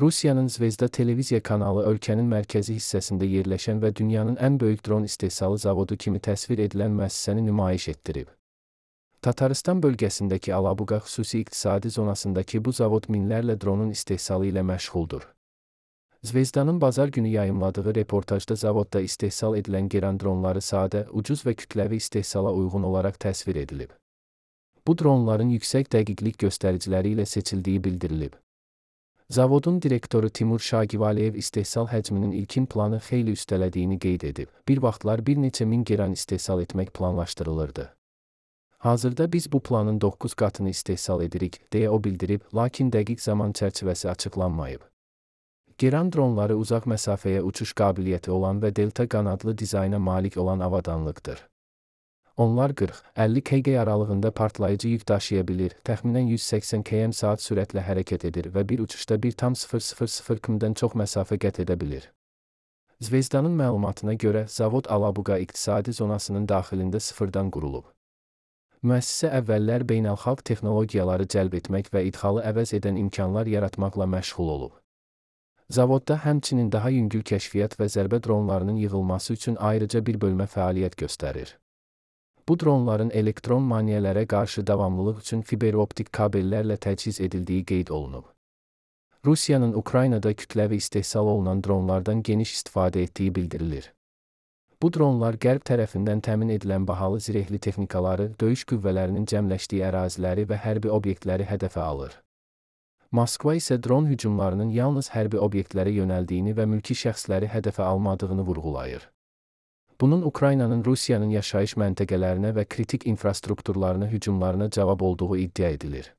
Rusiyanın Zvezda televiziya kanalı ölkənin mərkəzi hissəsində yerləşən və dünyanın ən böyük dron istehsalı zavodu kimi təsvir edilən müəssisəni nümayiş etdirib. Tataristan bölgəsindəki Alabuqa xüsusi iqtisadi zonasındakı bu zavod minlərlə dronun istehsalı ilə məşğuldur. Zvezdanın bazar günü yayımladığı reportajda zavodda istehsal edilən Geran dronları sadə, ucuz və kütləvi istehsala uyğun olaraq təsvir edilib. Bu dronların yüksək dəqiqlik göstəriciləri ilə seçildiyi bildirilib. Zavodun direktoru Timur Şagivaliyev istehsal həcminin ilkin planı xeyli üstələdiyini qeyd edib. Bir vaxtlar bir neçə min Geran istehsal etmək planlaşdırılırdı. Hazırda biz bu planın 9 qatını istehsal edirik, deyə o bildirib, lakin dəqiq zaman çərçivəsi açıqlanmayıb. Geran dronları uzaq məsafəyə uçuş qabiliyyəti olan və delta qanadlı dizayna malik olan avadanlıqdır. Onlar 40-50 kg aralığında partlayıcı yük daşıya bilir, təxminən 180 km/saat sürətlə hərəkət edir və bir uçuşda 1,000 km-dən çox məsafə qət edə bilir. Zvezdanın məlumatına görə, zavod Alabuqa iqtisadi zonasının daxilində sıfırdan qurulub. Müəssisə əvvəllər beynəlxalq texnologiyaları cəlb etmək və idxalı əvəz edən imkanlar yaratmaqla məşğul olub. Zavodda həmçinin daha yüngül kəşfiyyat və zərbə dronlarının yığılması üçün ayrıca bir bölmə fəaliyyət göstərir. Bu dronların elektron maneələrə qarşı davamlılıq üçün fiberoptik kabellərlə təchiz edildiyi qeyd olunub. Rusiyanın Ukraynada kütləvi istehsal olunan dronlardan geniş istifadə etdiyi bildirilir. Bu dronlar qərb tərəfindən təmin edilən bahalı zirehli texnikaları, döyüş qüvvələrinin cəmləşdiyi əraziləri və hərbi obyektləri hədəfə alır. Moskva isə dron hücumlarının yalnız hərbi obyektlərə yönəldiyini və mülki şəxsləri hədəfə almadığını vurğulayır. Bunun Ukraynanın Rusiyanın yaşayış məntəqələrinə və kritik infrastrukturlarına hücumlarına cavab olduğu iddia edilir.